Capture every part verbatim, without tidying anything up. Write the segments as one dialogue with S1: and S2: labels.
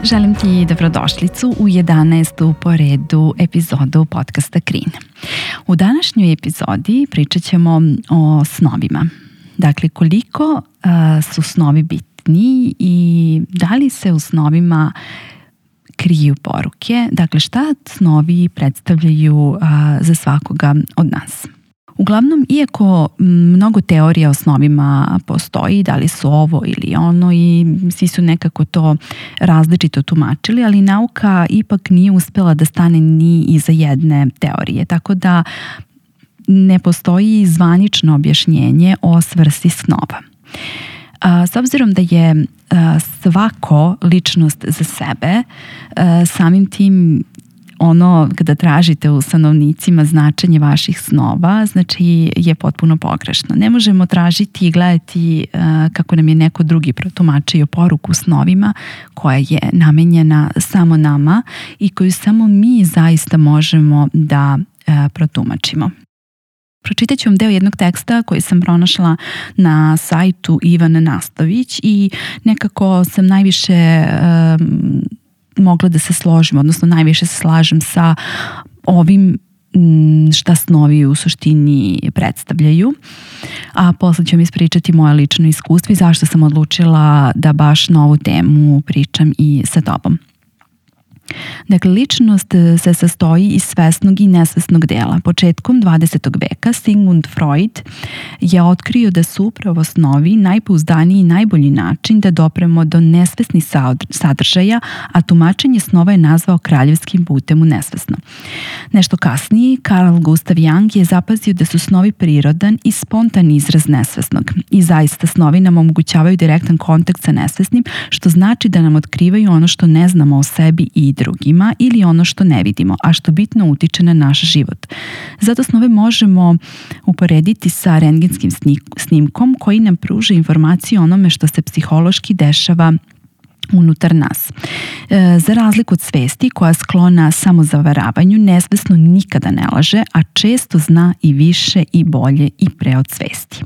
S1: Želim ti dobrodošlicu u jedanaestu po redu epizodu podcasta Krin. U današnjoj epizodi pričat ćemo o snovima. Dakle, koliko uh, su snovi bitni i da li se u snovima kriju poruke. Dakle, šta snovi predstavljaju uh, za svakoga od nas. Uglavnom, iako mnogo teorija o snovima postoji, da li su ovo ili ono i svi su nekako to različito tumačili, ali nauka ipak nije uspela da stane ni iza jedne teorije, tako da ne postoji zvanično objašnjenje o svrsi snova. A, s obzirom da je a, svako ličnost za sebe, a, samim tim ono kada tražite u sanovnicima značenje vaših snova, znači je potpuno pogrešno. Ne možemo tražiti i gledati uh, kako nam je neko drugi protumačio poruku snovima koja je namenjena samo nama i koju samo mi zaista možemo da uh, protumačimo. Pročitat ću vam deo jednog teksta koji sam pronašla na sajtu Ivana Nastović i nekako sam najviše um, mogla da se složim, odnosno najviše se slažem sa ovim šta snovi u suštini predstavljaju. A posle ću vam ispričati moje lično iskustvo i zašto sam odlučila da baš na ovu temu pričam i sa tobom. Dakle, ličnost se sastoji iz svesnog i nesvesnog dela. Početkom dvadesetog veka Sigmund Freud je otkrio da su upravo snovi najpouzdaniji i najbolji način da dopremo do nesvesnih sadržaja, a tumačenje snova je nazvao kraljevskim putem u nesvesno. Nešto kasnije, Carl Gustav Jung je zapazio da su snovi prirodan i spontan izraz nesvesnog. I zaista snovi nam omogućavaju direktan kontakt sa nesvesnim, što znači da nam otkrivaju ono što ne znamo o sebi i drugima ili ono što ne vidimo, a što bitno utiče na naš život. Zato snove možemo uporediti sa rentgenskim snimkom koji nam pruža informaciju o onome što se psihološki dešava unutar nas. E, za razliku od svesti koja je sklona samozavaravanju, nesvesno nikada ne laže, a često zna i više i bolje i pre od svesti.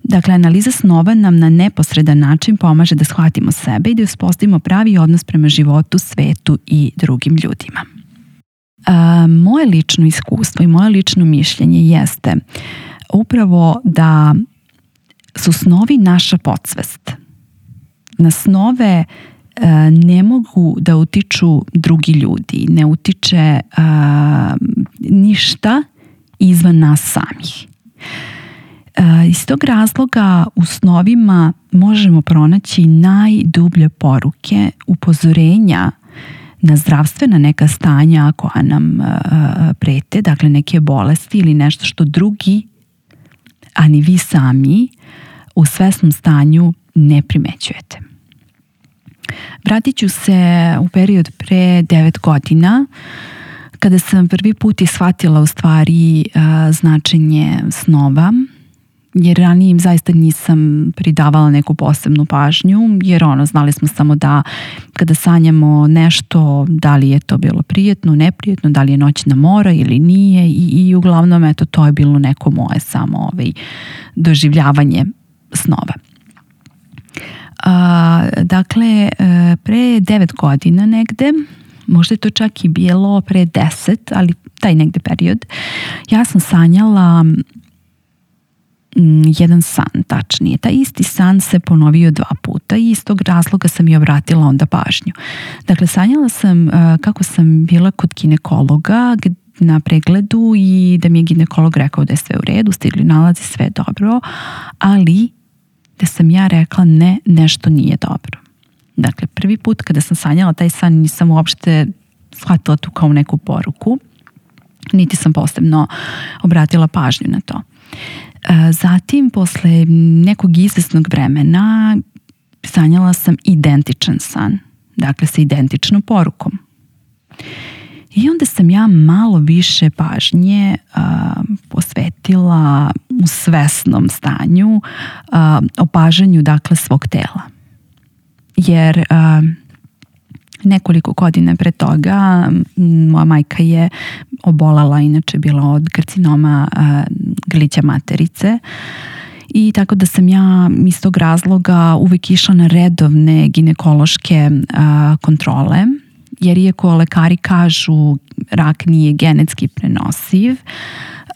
S1: Dakle, analiza snova nam na neposredan način pomaže da shvatimo sebe i da uspostavimo pravi odnos prema životu, svetu i drugim ljudima. A, moje lično iskustvo i moje lično mišljenje jeste upravo da su snovi naša podsvest. Na snove a, ne mogu da utiču drugi ljudi, ne utiče a, ništa izvan nas samih. Iz tog razloga u snovima možemo pronaći najdublje poruke, upozorenja na zdravstvena neka stanja koja nam prete, dakle neke bolesti ili nešto što drugi, a ni vi sami u svesnom stanju ne primećujete. Vratit ću se u period pre devet godina kada sam prvi put i shvatila u stvari značenje snova, jer ranije im zaista nisam pridavala neku posebnu pažnju, jer ono, znali smo samo da kada sanjamo nešto, da li je to bilo prijetno, neprijetno, da li je noćna mora ili nije i, i uglavnom eto, to je bilo neko moje samo ovaj, doživljavanje snova. A, dakle, pre devet godina negde, možda je to čak i bilo pre deset, ali taj negde period, ja sam sanjala jedan san, tačnije. Taj isti san se ponovio dva puta i iz tog razloga sam i obratila onda pažnju. Dakle, sanjala sam uh, kako sam bila kod ginekologa na pregledu i da mi je ginekolog rekao da je sve u redu, stigli nalazi, sve dobro, ali da sam ja rekla ne, nešto nije dobro. Dakle, prvi put kada sam sanjala taj san nisam uopšte shvatila tu kao neku poruku, niti sam posebno obratila pažnju na to. Zatim, posle nekog izvesnog vremena, sanjala sam identičan san, dakle sa identičnom porukom. I onda sam ja malo više pažnje uh, posvetila u svesnom stanju, uh, opažanju dakle svog tela. Jer uh, nekoliko godina pre toga moja majka je obolala, inače bila od karcinoma uh, grlića materice I tako da sam ja iz tog razloga uvek išla na redovne ginekološke a, kontrole, jer iako lekari kažu rak nije genetski prenosiv,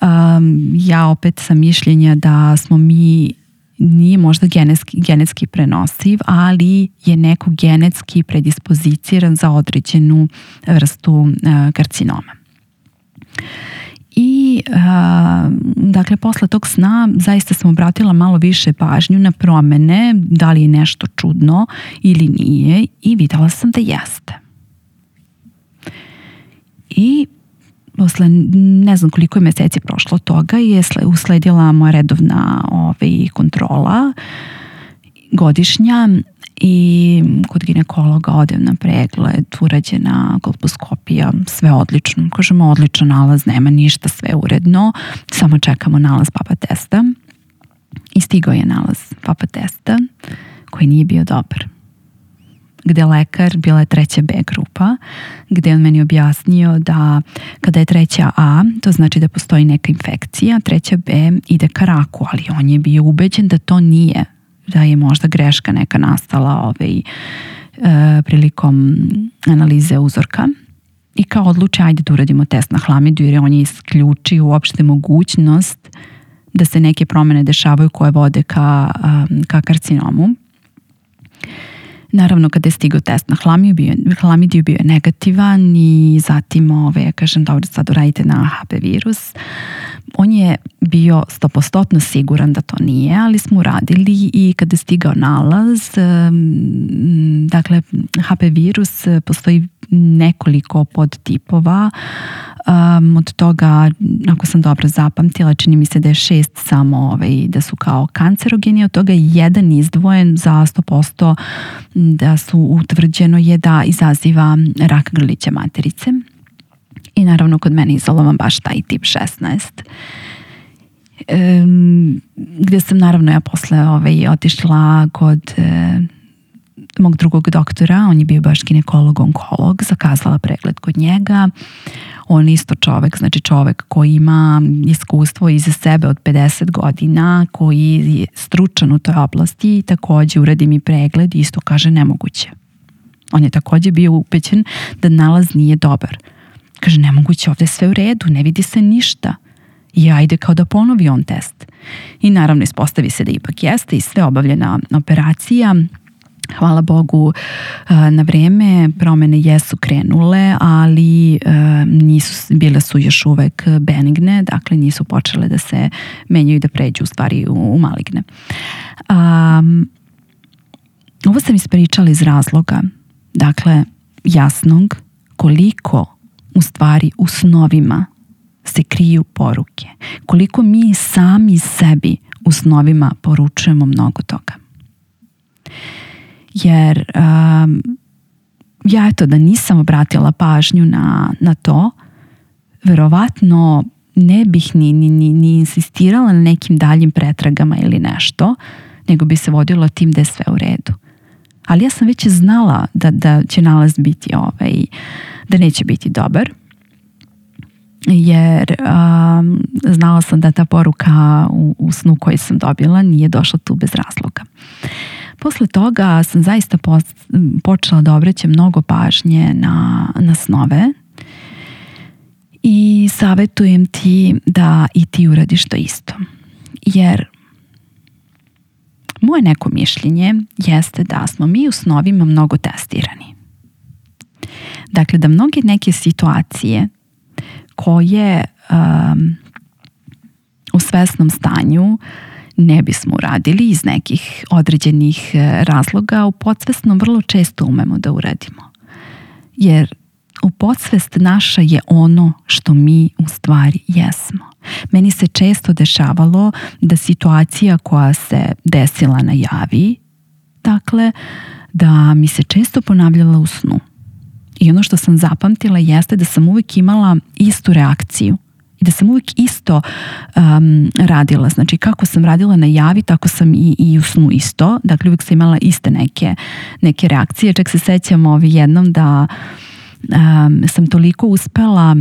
S1: um, ja opet sam mišljenja da smo mi, nije možda genetski, genetski prenosiv, ali je neko genetski predispoziciran za određenu vrstu uh, karcinoma. I uh, dakle posle tog sna zaista sam obratila malo više pažnju na promene, da li je nešto čudno ili nije, i videla sam da jeste. I posle ne znam koliko je meseci prošlo od toga je usledila moja redovna ovaj, kontrola godišnja i kod ginekologa odem na pregled, urađena kolposkopija, sve odlično. Kažemo odličan nalaz, nema ništa, sve uredno, samo čekamo nalaz papa testa. I stigao je nalaz papa testa koji nije bio dobar. Gde lekar, bila je treća B grupa, gde on meni objasnio da kada je treća A, to znači da postoji neka infekcija, treća B ide ka raku, ali on je bio ubeđen da to nije, da je možda greška neka nastala ovaj, e, prilikom analize uzorka. I kao odluče, ajde da uradimo test na hlamidiju, jer on je isključio uopšte mogućnost da se neke promene dešavaju koje vode ka, ka karcinomu. Naravno, kada je stigao test na hlamidiju, bio, hlamidiju bio je negativan i zatim, ove, ja kažem, dobro, sad uradite na H P virus. On je bio sto posto siguran da to nije, ali smo uradili i kada je stigao nalaz, dakle, H P virus postoji nekoliko podtipova. Um, od toga, ako sam dobro zapamtila, čini mi se da je šest samo ovaj, da su kao kancerogeni, od toga je jedan izdvojen za sto posto da su utvrđeno je da izaziva rak grlića materice. I naravno kod mene izolovan baš taj tip šesnaest. Um, gdje sam naravno ja posle ovaj, otišla kod e, mog drugog doktora, on je bio baš ginekolog, onkolog, zakazala pregled kod njega. On je isto čovek, znači čovek koji ima iskustvo iza sebe od pedeset godina, koji je stručan u toj oblasti i takođe uradi mi pregled i isto kaže nemoguće. On je takođe bio upećen da nalaz nije dobar. Kaže nemoguće, ovde je sve u redu, ne vidi se ništa. I ajde kao da ponovi on test. I naravno ispostavi se da ipak jeste i sve obavljena operacija. Hvala Bogu, na vreme promene jesu krenule, ali nisu, bile su još uvek benigne, dakle nisu počele da se menjaju i da pređu u stvari u, u maligne. Um, ovo sam ispričala iz razloga, dakle, jasnog koliko u stvari u snovima se kriju poruke, koliko mi sami sebi u snovima poručujemo mnogo toga. Jer um, ja eto da nisam obratila pažnju na, na to, verovatno ne bih ni, ni, ni, ni insistirala na nekim daljim pretragama ili nešto, nego bi se vodila tim da je sve u redu. Ali ja sam već znala da, da će nalaz biti ovaj, da neće biti dobar, jer um, znala sam da ta poruka u, u snu koji sam dobila nije došla tu bez razloga. Posle toga sam zaista počela da obraćam mnogo pažnje na, na snove i savjetujem ti da i ti uradiš to isto. Jer moje neko mišljenje jeste da smo mi u snovima mnogo testirani. Dakle, da mnoge neke situacije koje um, u svesnom stanju ne bismo uradili iz nekih određenih razloga, u podsvesnom vrlo često umemo da uradimo. Jer u podsvest naša je ono što mi u stvari jesmo. Meni se često dešavalo da situacija koja se desila na javi, dakle, da mi se često ponavljala u snu. I ono što sam zapamtila jeste da sam uvijek imala istu reakciju i da sam uvijek isto um, radila. Znači kako sam radila na javi, tako sam i, i u snu isto. Dakle, uvijek sam imala iste neke, neke reakcije. Čak se sećam ovi jednom da um, sam toliko uspela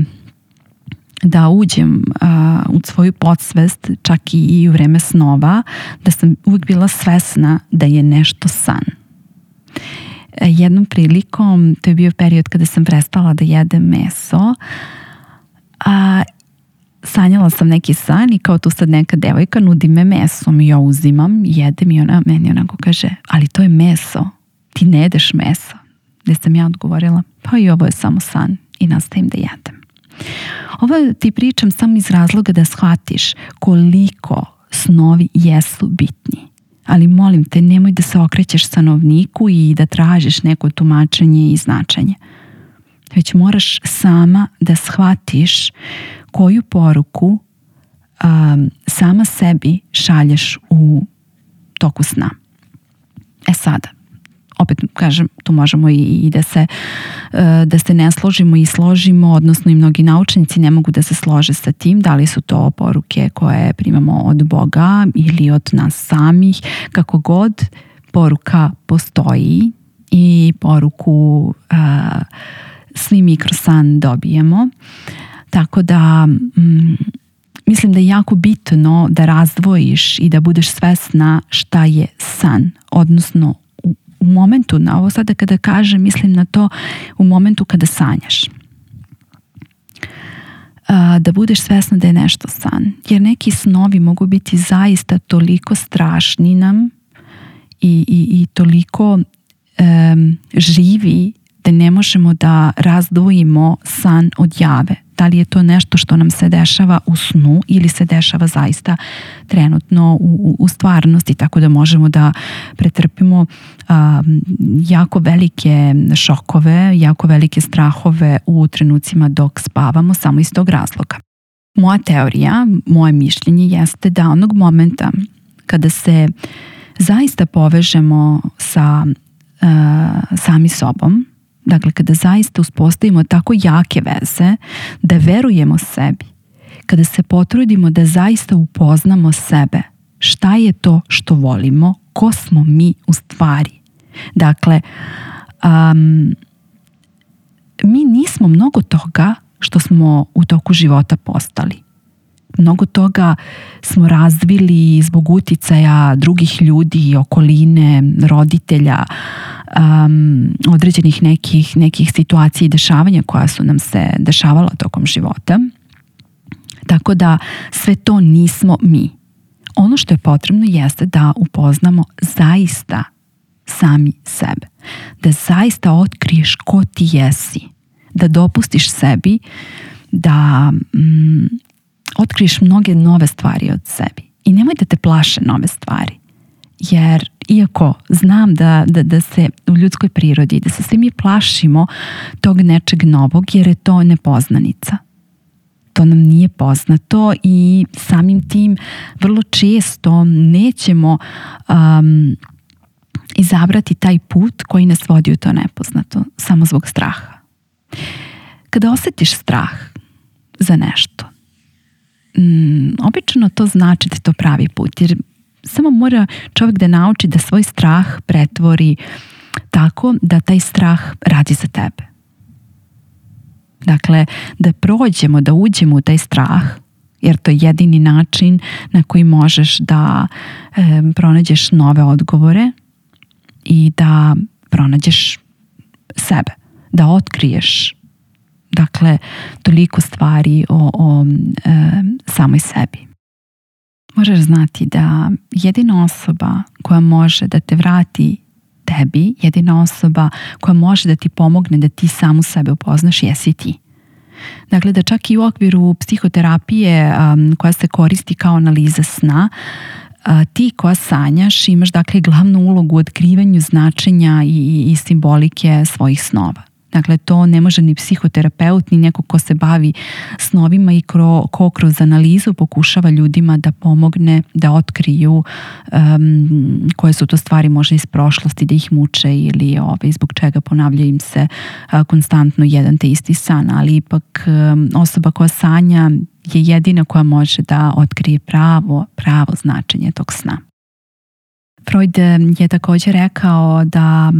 S1: da uđem a, u svoju podsvest, čak i, i u vreme snova, da sam uvijek bila svesna da je nešto san. E, jednom prilikom, to je bio period kada sam prestala da jedem meso, a sanjala sam neki san i kao tu sad neka devojka nudi me mesom i ja uzimam, jedem i ona meni onako kaže, ali to je meso, ti ne jedeš meso. Gde sam ja odgovorila, pa i ovo je samo san i nastavim da jedem. Ovo ti pričam samo iz razloga da shvatiš koliko snovi jesu bitni. Ali molim te, nemoj da se okrećeš sanovniku i da tražiš neko tumačenje i značenje. Već moraš sama da shvatiš koju poruku um, sama sebi šalješ u toku sna. E sada, opet kažem, tu možemo i, i da se da se ne složimo i složimo, odnosno i mnogi naučnici ne mogu da se slože sa tim, da li su to poruke koje primamo od Boga ili od nas samih, kako god poruka postoji i poruku a, svi mi kroz san dobijemo. Tako da mm, mislim da je jako bitno da razdvojiš i da budeš svesna šta je san, odnosno u momentu, na ovo sada kada kažem, mislim na to u momentu kada sanjaš. A, da budeš svesna da je nešto san. Jer neki snovi mogu biti zaista toliko strašni nam i, i, i toliko um, živi da ne možemo da razdvojimo san od jave. Da li je to nešto što nam se dešava u snu ili se dešava zaista trenutno u, u stvarnosti, tako da možemo da pretrpimo a, jako velike šokove, jako velike strahove u trenucima dok spavamo samo iz tog razloga. Moja teorija, moje mišljenje jeste da onog momenta kada se zaista povežemo sa a, sami sobom, dakle, kada zaista uspostavimo tako jake veze, da verujemo sebi, kada se potrudimo da zaista upoznamo sebe, šta je to što volimo, ko smo mi u stvari. Dakle, um, mi nismo mnogo toga što smo u toku života postali. Mnogo toga smo razvili zbog uticaja drugih ljudi, okoline, roditelja, um, određenih nekih, nekih situacija i dešavanja koja su nam se dešavala tokom života. Tako da sve to nismo mi. Ono što je potrebno jeste da upoznamo zaista sami sebe. Da zaista otkriješ ko ti jesi. Da dopustiš sebi da mm, otkriješ mnoge nove stvari od sebi. I nemoj da te plaše nove stvari. Jer iako znam da, da, da se u ljudskoj prirodi, da se svi mi plašimo tog nečeg novog, jer je to nepoznanica. To nam nije poznato i samim tim vrlo često nećemo um, izabrati taj put koji nas vodi u to nepoznato, samo zbog straha. Kada osjetiš strah za nešto, um, obično to znači da je to pravi put, jer samo mora čovjek da nauči da svoj strah pretvori tako da taj strah radi za tebe. Dakle, da prođemo, da uđemo u taj strah, jer to je jedini način na koji možeš da e, pronađeš nove odgovore i da pronađeš sebe, da otkriješ, dakle, toliko stvari o, o e, samoj sebi. Možeš znati da jedina osoba koja može da te vrati tebi, jedina osoba koja može da ti pomogne da ti samu sebe upoznaš, jesi ti. Dakle, da čak i u okviru psihoterapije um, koja se koristi kao analiza sna, uh, ti koja sanjaš imaš dakle glavnu ulogu u otkrivanju značenja i, i, i simbolike svojih snova. Dakle, to ne može ni psihoterapeut, ni neko ko se bavi snovima i kro, ko kroz analizu pokušava ljudima da pomogne da otkriju um, koje su to stvari možda iz prošlosti, da ih muče ili ovaj, zbog čega ponavljaju im se uh, konstantno jedan te isti san. Ali ipak um, osoba koja sanja je jedina koja može da otkrije pravo, pravo značenje tog sna. Freud je također rekao da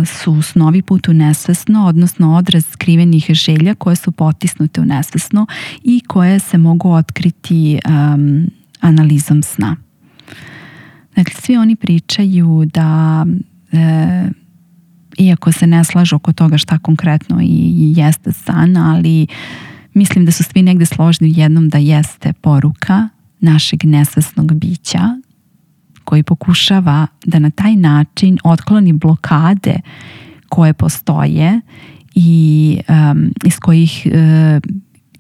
S1: su snovi put u nesvesno, odnosno odraz skrivenih želja koje su potisnute u nesvesno i koje se mogu otkriti um, analizom sna. Dakle, svi oni pričaju da e, iako se ne slažu oko toga šta konkretno i, i jeste san, ali mislim da su svi negde složni u jednom da jeste poruka našeg nesvesnog bića koji pokušava da na taj način otkloni blokade koje postoje i um, iz kojih uh,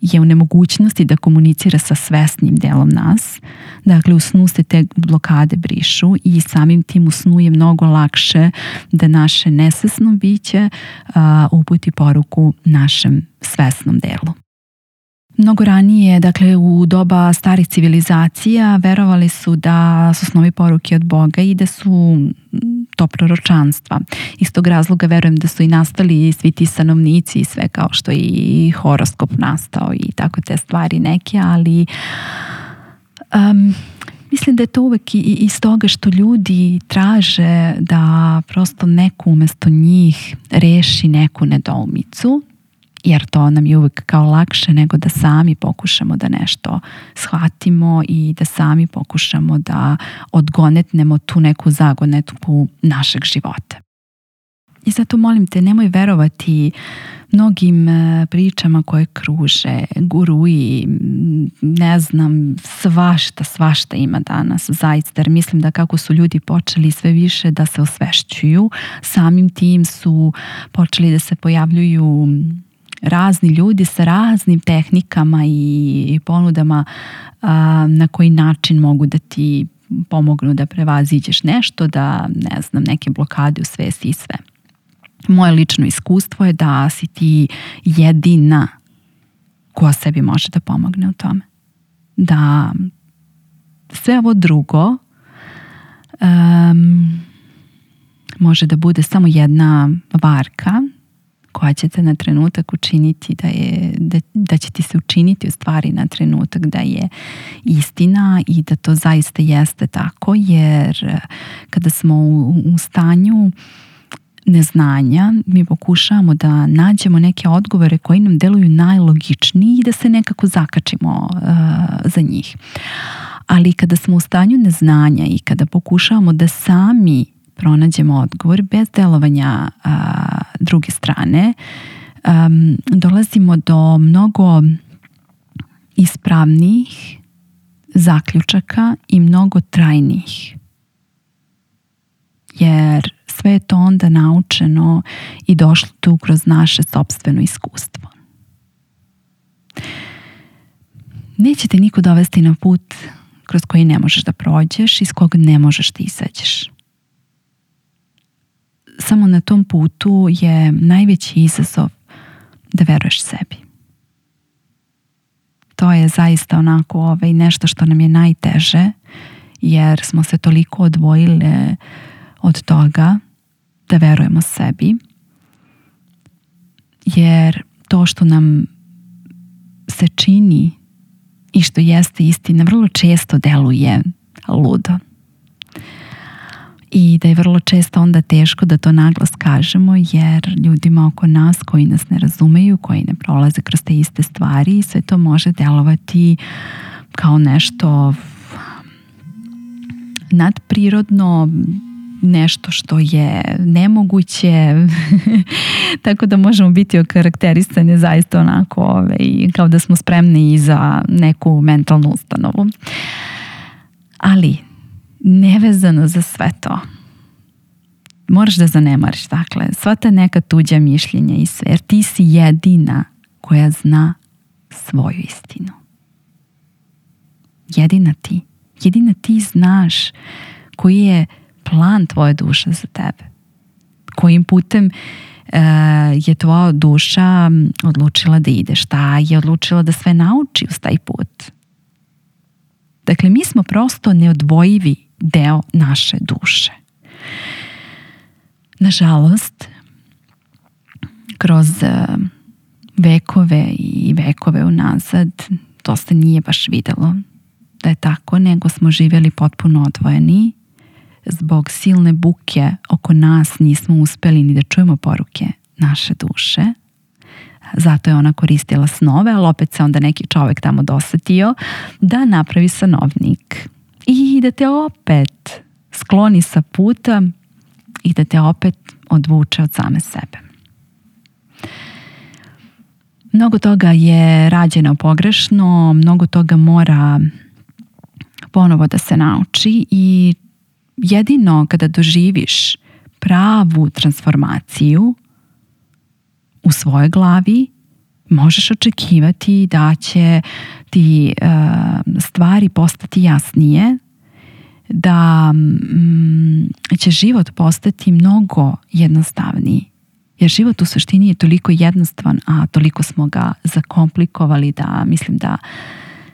S1: je u nemogućnosti da komunicira sa svesnim delom nas. Dakle, u snu se te blokade brišu i samim tim u snu je mnogo lakše da naše nesvesno biće uh, uputi poruku našem svesnom delu. Mnogo ranije, dakle u doba starih civilizacija, verovali su da su snovi poruke od Boga i da su to proročanstva. Iz tog razloga verujem da su i nastali svi ti stanovnici i sve, kao što i horoskop nastao i tako te stvari neke, ali um, mislim da je to uvek i iz toga što ljudi traže da prosto neko umesto njih reši neku nedoumicu, jer to nam je uvijek kao lakše nego da sami pokušamo da nešto shvatimo i da sami pokušamo da odgonetnemo tu neku zagonetku našeg života. I zato molim te, nemoj verovati mnogim pričama koje kruže, guruji, ne znam, svašta, svašta ima danas zaista, jer mislim da kako su ljudi počeli sve više da se osvešćuju, samim tim su počeli da se pojavljuju razni ljudi sa raznim tehnikama i ponudama a, na koji način mogu da ti pomognu da prevaziđeš nešto, da ne znam, neke blokade u svesti i sve. Moje lično iskustvo je da si ti jedina koja sebi može da pomogne u tome. Da sve ovo drugo um, može da bude samo jedna varka koja će te na trenutak učiniti da, je, da, da će ti se učiniti u stvari na trenutak da je istina i da to zaista jeste tako, jer kada smo u, u stanju neznanja, mi pokušavamo da nađemo neke odgovore koji nam deluju najlogičniji i da se nekako zakačimo uh, za njih. Ali kada smo u stanju neznanja i kada pokušavamo da sami pronađemo odgovor bez delovanja uh, druge strane, um, dolazimo do mnogo ispravnijih zaključaka i mnogo trajnijih. Jer sve je to onda naučeno i došlo tu kroz naše sopstveno iskustvo. Neće te niko dovesti na put kroz koji ne možeš da prođeš i s kog ne možeš da izađeš. Samo na tom putu je najveći izazov da veruješ sebi. To je zaista onako ovaj, nešto što nam je najteže, jer smo se toliko odvojile od toga da verujemo sebi, jer to što nam se čini i što jeste istina vrlo često deluje ludo. I da je vrlo često onda teško da to naglas kažemo, jer ljudima oko nas koji nas ne razumeju, koji ne prolaze kroz te iste stvari, sve to može delovati kao nešto nadprirodno, nešto što je nemoguće, tako da možemo biti okarakterisani zaista onako ovaj, kao da smo spremni i za neku mentalnu ustanovu. Ali nevezano za sve to, moraš da zanemariš, dakle, sva ta neka tuđa mišljenja i sve, jer ti si jedina koja zna svoju istinu. Jedina ti. Jedina ti znaš koji je plan tvoje duše za tebe. Kojim putem uh, je tvoja duša odlučila da ide, šta je odlučila da sve nauči uz taj put. Dakle, mi smo prosto neodvojivi deo naše duše. Nažalost, kroz uh, vekove i vekove unazad to se nije baš videlo da je tako, nego smo živjeli potpuno odvojeni, zbog silne buke oko nas nismo uspeli ni da čujemo poruke naše duše. Zato je ona koristila snove, ali opet se onda neki čovek tamo dosetio da napravi sanovnik i da te opet skloni sa puta i da te opet odvuče od same sebe. Mnogo toga je rađeno pogrešno, mnogo toga mora ponovo da se nauči i jedino kada doživiš pravu transformaciju u svojoj glavi, možeš očekivati da će ti uh, stvari postati jasnije, da mm, će život postati mnogo jednostavniji. Jer život u suštini je toliko jednostavan, a toliko smo ga zakomplikovali da mislim da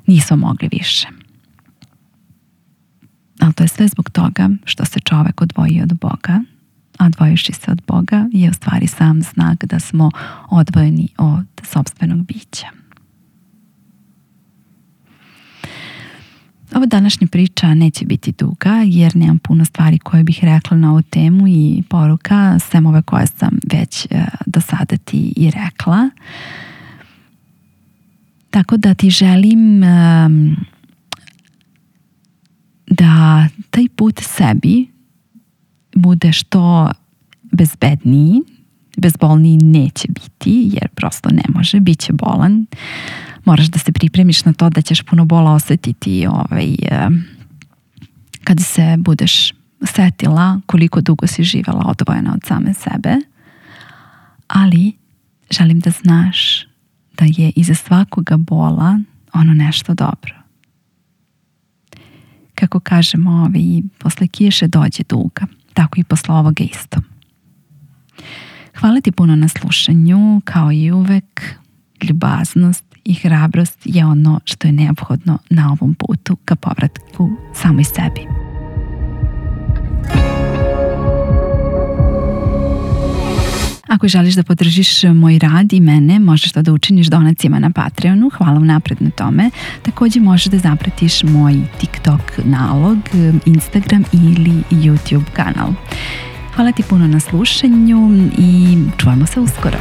S1: nismo mogli više. Ali to je sve zbog toga što se čovek odvoji od Boga, a odvojivši se od Boga je u stvari sam znak da smo odvojeni od sopstvenog bića. Ova današnja priča neće biti duga jer nemam puno stvari koje bih rekla na ovu temu i poruka, sem ove koje sam već uh, do sada ti i rekla. Tako da ti želim um, da taj put sebi bude što bezbedniji, bezbolniji neće biti, jer prosto ne može, bit će bolan. Moraš da se pripremiš na to da ćeš puno bola osetiti ovaj, kada se budeš setila koliko dugo si živela odvojena od same sebe. Ali želim da znaš da je iza svakoga bola ono nešto dobro. Kako kažemo, ovaj, posle kiše dođe duga. Tako i posle ovoga isto. Hvala ti puno na slušanju, kao i uvek. Ljubaznost i hrabrost je ono što je neophodno na ovom putu ka povratku samoj sebi. Ako želiš da podržiš moj rad i mene, možeš to da učiniš donacijama na Patreonu. Hvala vam napred na tome. Također možeš da zapratiš moj TikTok nalog, Instagram ili YouTube kanal. Hvala ti puno na slušanju i čujemo se uskoro.